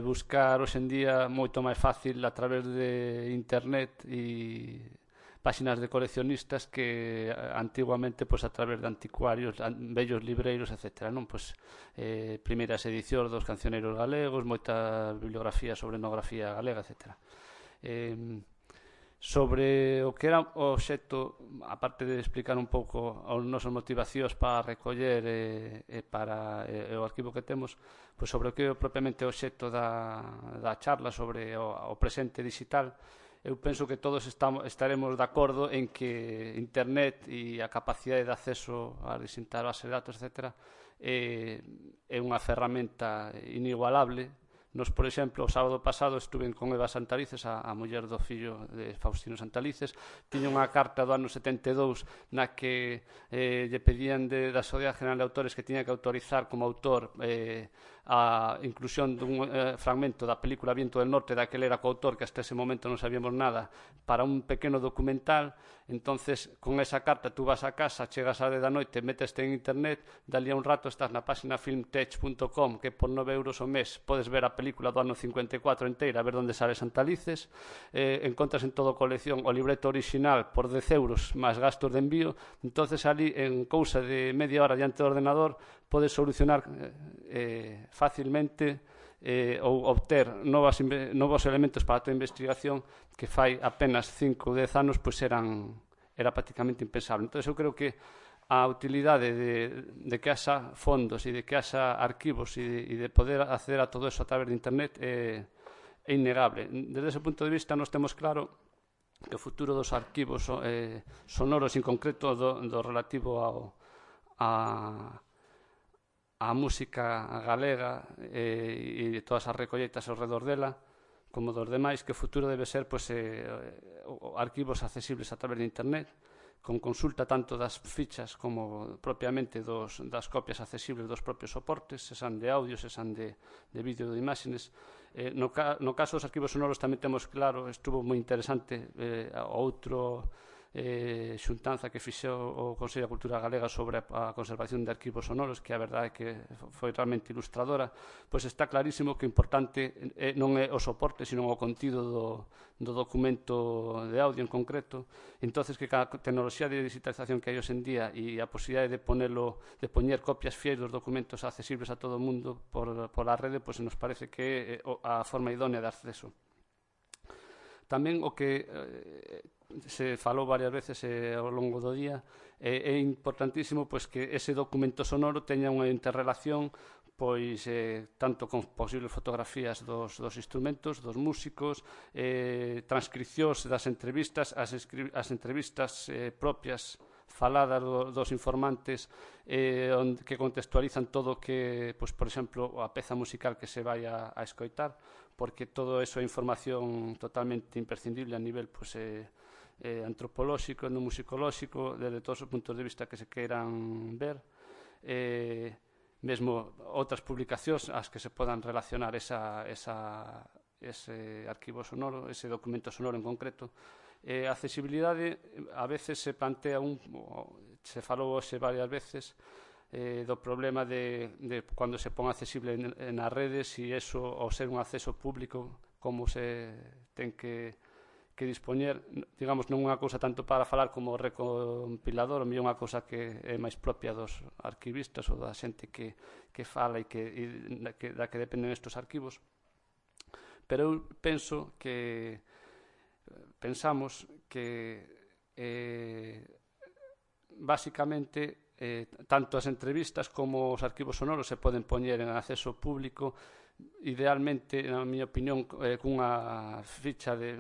buscar hoxendía moito máis fácil a través de internet e páxinas de coleccionistas que antiguamente a través de anticuarios, vellos libreiros, etc. Primeiras edicións dos cancioneiros galegos, moita bibliografía sobre etnografía galega, etc. Sobre o que era o obxecto, aparte de explicar un pouco as nosas motivacións para recoller e para o arquivo que temos, sobre o que é propiamente o obxecto da charla sobre o presente digital, eu penso que todos estaremos de acordo en que Internet e a capacidade de acceso a distintas bases de datos, etc., é unha ferramenta inigualable. Nos, por exemplo, o sábado pasado estuve con Eva Santalices, a muller do fillo de Faustino Santalices. Tiña unha carta do ano 72 na que lle pedían da Sociedade General de Autores que tiña que autorizar como autor a inclusión dun fragmento da película Viento del Norte, daquele era coautor, que hasta ese momento non sabíamos nada, para un pequeno documental. Entonces, con esa carta tú vas a casa, chegas a 10 da noite, meteste en internet, dali a un rato estás na página filmtech.com, que por 9 euros ao mes podes ver a película do ano 54 inteira, a ver onde sale Santalices. Encontras en todo colección o libreto original por 10 euros máis gastos de envío. Entonces, ali, en cousa de media hora diante do ordenador, podes solucionar facilmente ou obter novos elementos para a tua investigación que fai apenas 5 ou 10 anos pois era prácticamente impensable. Entón, eu creo que a utilidade de que haxa fondos e de que haxa arquivos e de poder acceder a todo eso a través de internet é innegable. Desde ese punto de vista, nos temos claro que o futuro dos arquivos sonoros, en concreto do relativo a música galega e todas as recolleitas ao redor dela, como dos demais, que o futuro debe ser arquivos accesibles a través de internet, con consulta tanto das fichas como propiamente das copias accesibles dos propios soportes, sean de audio, sean de vídeo ou de imágenes. No caso dos arquivos sonoros tamén temos claro, estuvo moi interesante outro xuntanza que fixou o Consello de Cultura Galega sobre a conservación de arquivos sonoros, que a verdade é que foi realmente ilustradora. Pois está clarísimo que o importante non é o soporte, sino o contido do documento de audio en concreto. Entonces, que cada tecnoloxía de digitalización que hai hoxe en día e a posibilidade de poñer copias fiéis dos documentos accesibles a todo o mundo por a rede, pois nos parece que é a forma idónea de acceso. Tamén o que se falou varias veces ao longo do día, é importantísimo pois que ese documento sonoro teña unha interrelación pois tanto con posibles fotografías dos instrumentos, dos músicos, transcripcións das entrevistas, as entrevistas propias faladas dos informantes que contextualizan todo o que, pois, por exemplo, a peza musical que se vai a escoitar, porque todo eso é información totalmente imprescindible a nivel pois, antropolóxico, etnomusicolóxico, desde todos os puntos de vista que se queiran ver. Mesmo outras publicacións as que se podan relacionar ese arquivo sonoro, ese documento sonoro en concreto. A accesibilidade a veces se plantea se falou hoxe varias veces do problema de cando se pon accesible nas redes, e eso, ao ser un acceso público, como se ten que dispoñer, digamos, non unha cousa tanto para falar como recompilador, ou unha cousa que é máis propia dos arquivistas ou da xente que fala e da que dependen estes arquivos. Pero eu pensamos que basicamente tanto as entrevistas como os arquivos sonoros se poden poñer en acceso público, idealmente, na miña opinión, cunha ficha de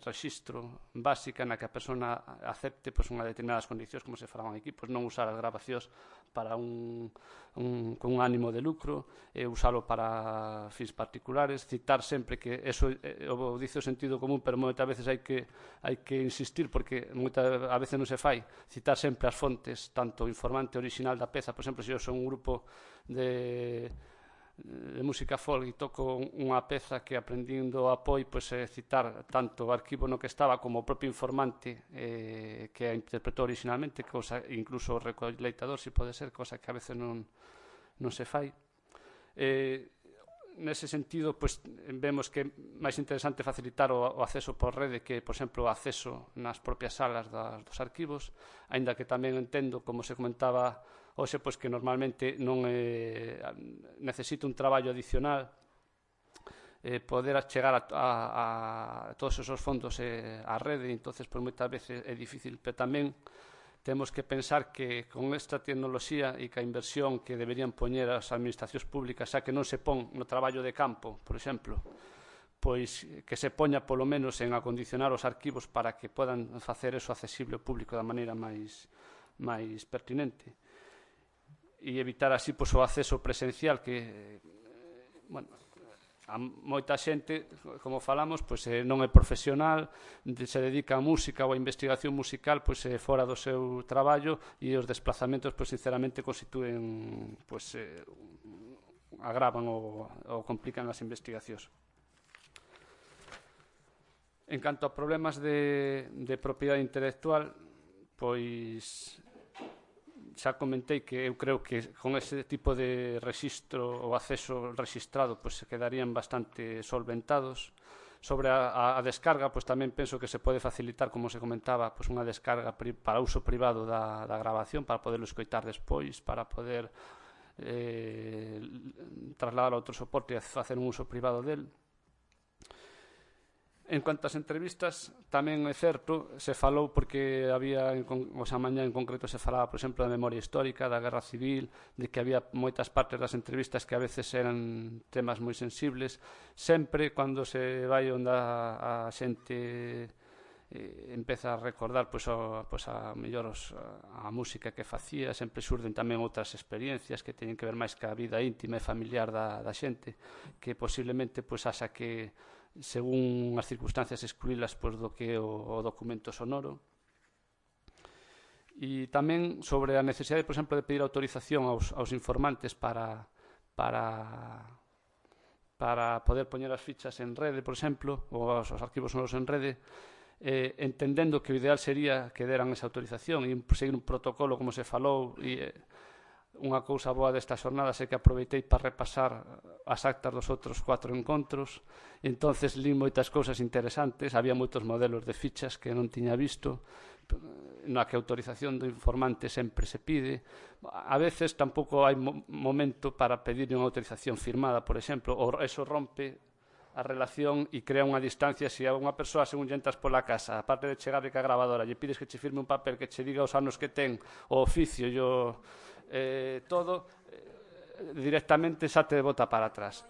rexistro básica na que a persona acepte unhas determinadas condicións, como se falaban aquí, non usar as grabacións para con un ánimo de lucro, usalo para fins particulares, citar sempre, que eso o dice o sentido común, pero moitas veces hai que insistir, porque a veces non se fai, citar sempre as fontes, tanto o informante original da peza. Por exemplo, se eu son un grupo de música folk e toco unha peza que aprendín do Apoio, pois citar tanto o arquivo no que estaba como o propio informante que a interpretou originalmente, cosa, incluso o recoleitador, se pode ser, cosa que a veces non se fai. Nese sentido, pois, vemos que é máis interesante facilitar o acceso por rede que, por exemplo, o acceso nas propias salas dos arquivos, aínda que tamén entendo, como se comentaba hoxe, pois que normalmente non necesita un traballo adicional poder chegar a todos esos fondos á rede. Entonces, pois, moitas veces é difícil, pero tamén temos que pensar que con esta tecnoloxía e que a inversión que deberían poñer as administracións públicas, xa que non se pon no traballo de campo, por exemplo, pois que se poña polo menos en acondicionar os arquivos para que podan facer eso accesible ao público da maneira máis pertinente e evitar así pois, o acceso presencial que, bueno, a moita xente, como falamos, pois, non é profesional, se dedica a música ou a investigación musical pois, fora do seu traballo e os desplazamentos, pois, sinceramente, constitúen, pois, agravan ou complican as investigacións. En canto a problemas de propiedade intelectual, pois xa comentei que eu creo que con ese tipo de rexistro ou acceso rexistrado pois se quedarían bastante solventados. Sobre a descarga, pois tamén penso que se pode facilitar, como se comentaba, pois unha descarga para uso privado da grabación, para poderlo escoitar despois, para poder trasladar a outro soporte e facer un uso privado del. En cuanto ás entrevistas, tamén é certo, se falou porque había, a mañá en concreto se falaba, por exemplo, da memoria histórica, da guerra civil, de que había moitas partes das entrevistas que a veces eran temas moi sensibles. Sempre, cando se vai onde a xente empeza a recordar a mellor a música que facía, sempre surden tamén outras experiencias que teñen que ver máis ca vida íntima e familiar da xente, que posiblemente haxa que según as circunstancias excluílas do que é o documento sonoro. E tamén sobre a necesidade, por exemplo, de pedir autorización aos informantes para poder poñer as fichas en rede, por exemplo, ou os arquivos sonoros en rede, entendendo que o ideal sería que deran esa autorización e seguir un protocolo como se falou. E unha cousa boa desta xornada é que aproveitei para repasar as actas dos outros 4 encontros, e entonces li moitas cousas interesantes. Había moitos modelos de fichas que non tiña visto, na que a autorización do informante sempre se pide. A veces tampouco hai momento para pedir unha autorización firmada, por exemplo, ou eso rompe a relación e crea unha distancia. Se a unha persoa, según lle entras pola casa, aparte de chegarle ca grabadora, lle pides que che firme un papel que che diga os anos que ten, o oficio e todo, directamente xa te bota para atrás.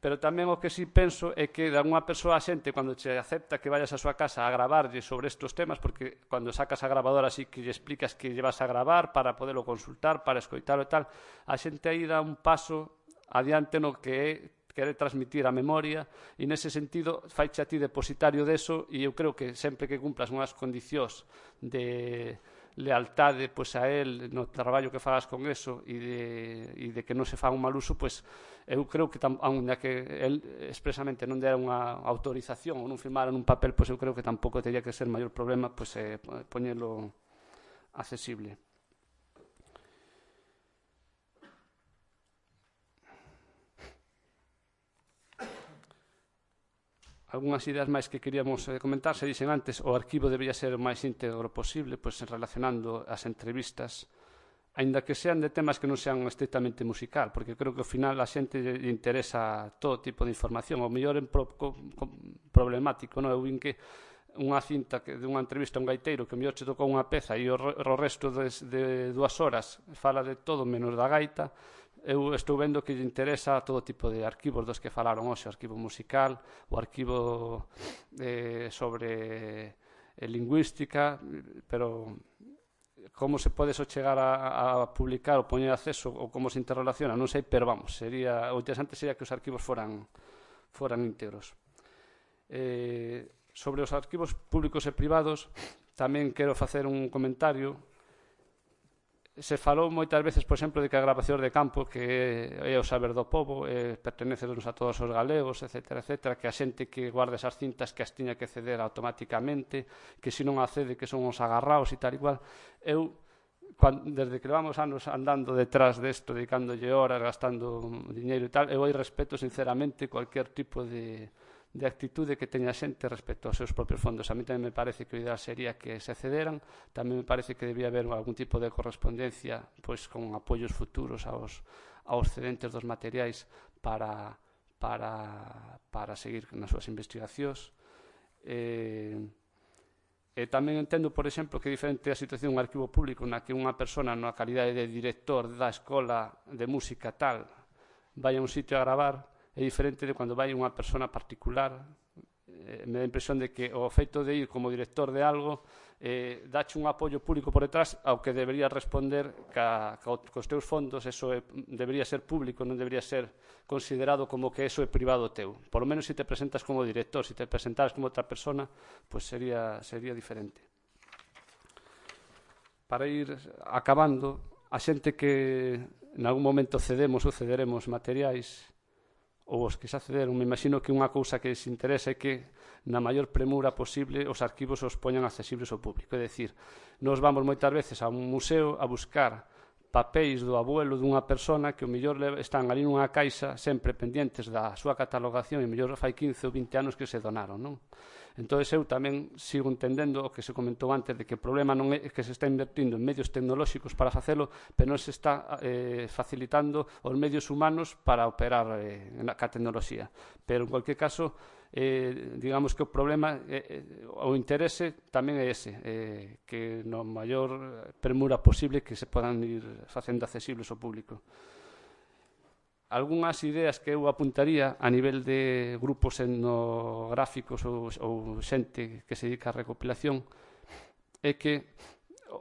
Pero tamén o que si penso é que de alguna persoa a xente, cando che acepta que vayas a súa casa a gravarlle sobre estes temas, porque cando sacas a grabadora así que lle explicas que lle vas a gravar para poderlo consultar, para escoitalo e tal, a xente aí dá un paso adiante no que é querer transmitir a memoria, e nese sentido faiche a ti depositario deso, e eu creo que sempre que cumplas unhas condicións de lealtade a él no traballo que fagas con eso e de que non se faga un mal uso, eu creo que aunque que él expresamente non dera unha autorización ou non firmara nun papel, eu creo que tampouco teria que ser maior problema poñelo accesible. Algúnas ideas máis que queríamos comentar. Se dixen antes, o arquivo debería ser o máis íntegro posible, relacionando as entrevistas, aínda que sean de temas que non sean estrictamente musical, porque creo que ao final a xente lle interesa todo tipo de información. O mellor é problemático, non? Eu vin que unha cinta dunha entrevista a un gaiteiro que o mellor che tocou unha peza e o resto de 2 horas fala de todo menos da gaita. Eu estou vendo que lle interesa todo tipo de arquivos dos que falaron hoxe, o arquivo musical, o arquivo sobre lingüística, pero como se pode chegar a publicar ou poñer acceso ou como se interrelaciona, non sei, pero vamos, o interesante sería que os arquivos foran íntegros. Sobre os arquivos públicos e privados, tamén quero facer un comentario. Se falou moitas veces, por exemplo, de que a grabación de campo, que é o saber do pobo, pertenece a todos os galegos, etc., que a xente que guarda esas cintas que as tiña que ceder automáticamente, que se non accede que son os agarraos e tal igual. Eu, desde que levamos anos andando detrás desto, dedicándolle horas, gastando diñeiro e tal, eu aí respeto sinceramente cualquier tipo de actitude que teña xente respecto aos seus propios fondos. A mí tamén me parece que o ideal sería que se cederan. Tamén me parece que debía haber algún tipo de correspondencia con apoios futuros aos cedentes dos materiais para seguir nas súas investigacións. Tamén entendo, por exemplo, que é diferente a situación dun arquivo público na que unha persona na calidade de director da escola de música tal vai a un sitio a gravar é diferente de cando vai unha persona particular. Me dá a impresión de que o feito de ir como director de algo dache un apoio público por detrás ao que debería responder cos teus fondos. Eso debería ser público, non debería ser considerado como que eso é privado teu. Por lo menos se te presentas como director, se te presentaras como outra persona, pues sería diferente. Para ir acabando, a xente que en algún momento cedemos ou cederemos materiais, ou os que xa cederon, me imagino que unha cousa que se interesa é que na maior premura posible os arquivos os poñan accesibles ao público. É dicir, nos vamos moitas veces a un museo a buscar papéis do abuelo dunha persona que o mellor están ali nunha caixa sempre pendientes da súa catalogación e o mellor fai 15 ou 20 anos que se donaron, non? Entón, eu tamén sigo entendendo o que se comentou antes de que o problema non é que se está invertindo en medios tecnolóxicos para facelo, pero non se está facilitando os medios humanos para operar ca tecnoloxía. Pero, en cualquier caso, digamos que o problema, o interese tamén é ese, que no maior premura posible que se podan ir facendo accesibles ao público. Algúnas ideas que eu apuntaría a nivel de grupos etnográficos ou xente que se dedica á recopilación é que,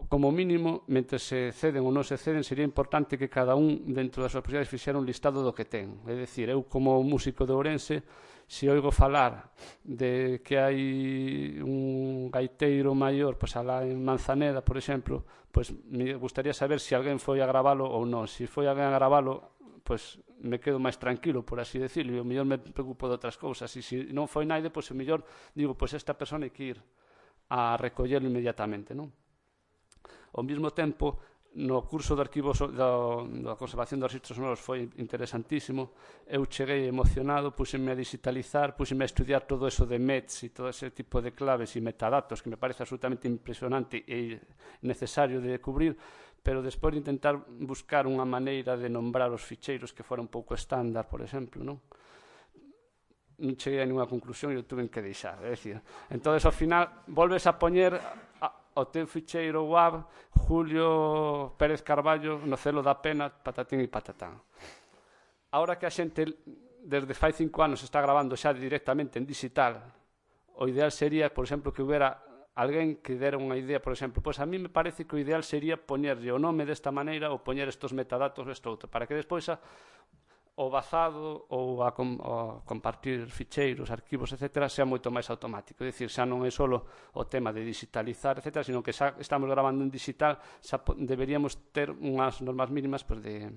como mínimo, mentre se ceden ou non se ceden, sería importante que cada un, dentro das súas posibilidades, fixera un listado do que ten. É dicir, eu como músico de Ourense, se oigo falar de que hai un gaiteiro maior, pois alá en Manzaneda, por exemplo, pois me gustaría saber se alguén foi a gravalo ou non. Se foi alguén a gravalo, pois me quedo máis tranquilo, por así decirlo, e o mellor me preocupo de outras cousas. E se non foi naide, pois o mellor digo, pois esta persona hai que ir a recollerlo inmediatamente, non? Ao mesmo tempo, no curso de arquivos da conservación dos registros sonoros foi interesantísimo. Eu cheguei emocionado, puseme a digitalizar, puseme a estudiar todo eso de METs e todo ese tipo de claves e metadatos que me parece absolutamente impresionante e necesario de cubrir, pero despois de intentar buscar unha maneira de nombrar os ficheiros que fora un pouco estándar, por exemplo, non cheguei a ninguna conclusión e o tuve que deixar. É dicir, entón, ao final, volves a poñer o teu ficheiro WAV Julio Pérez Carballo no celo da pena, patatín e patatán. Ahora que a xente desde fai 5 anos está grabando xa directamente en digital, o ideal sería, por exemplo, que houbera alguén que dera unha idea, por exemplo, pois a mí me parece que o ideal sería poñerlle o nome desta maneira ou poñer estos metadatos desta outra, para que despois o bazado ou a compartir ficheiros, arquivos, etc., sea moito máis automático. É dicir, xa non é só o tema de digitalizar, etc., sino que xa estamos grabando en digital, xa deberíamos ter unhas normas mínimas de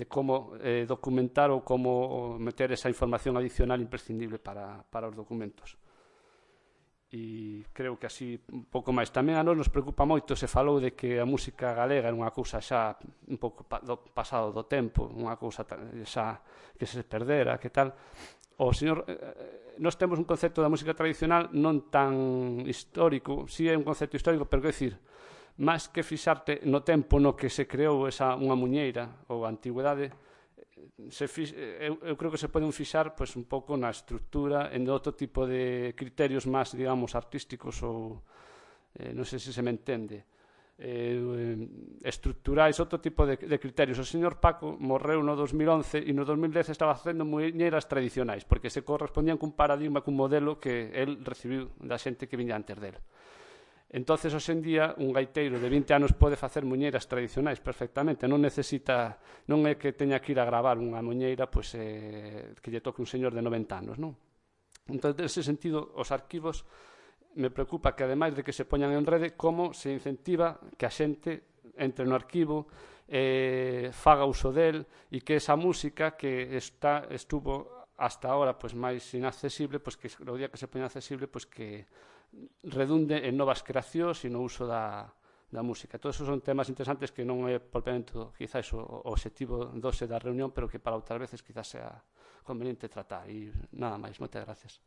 como documentar ou como meter esa información adicional imprescindible para os documentos. E creo que así un pouco máis. Tamén a nos preocupa moito, se falou de que a música galega era unha cousa xa un pouco pasado do tempo, unha cousa xa que se perdera, que tal. Nós temos un concepto da música tradicional non tan histórico, si é un concepto histórico, pero que decir, máis que fixarte no tempo no que se creou unha muñeira ou a antigüedade, eu creo que se poden fixar pois, un pouco na estrutura, en outro tipo de criterios máis, digamos, artísticos ou, non sei se se me entende, estruturais, outro tipo de criterios. O señor Paco morreu no 2011 e no 2010 estaba facendo muñeiras tradicionais, porque se correspondían cun paradigma, cun modelo que el recibiu da xente que viña antes dele. Entonces, hoxe en día, un gaiteiro de 20 anos pode facer muñeiras tradicionais perfectamente, non necesita, non é que teña que ir a gravar unha muñeira pois, que lle toque un señor de 90 anos, non? Entón, nese sentido, os arquivos me preocupa que, ademais de que se poñan en rede, como se incentiva que a xente entre no arquivo, faga uso del, e que esa música que estuvo hasta ahora pois, máis inaccesible, pois, que o día que se poña accesible, pois, que redunde en novas creacións e no uso da música. Todos esos son temas interesantes que non é propiamente quizás o obxectivo da reunión, pero que para outras veces quizás sea conveniente tratar. E nada máis, moitas gracias.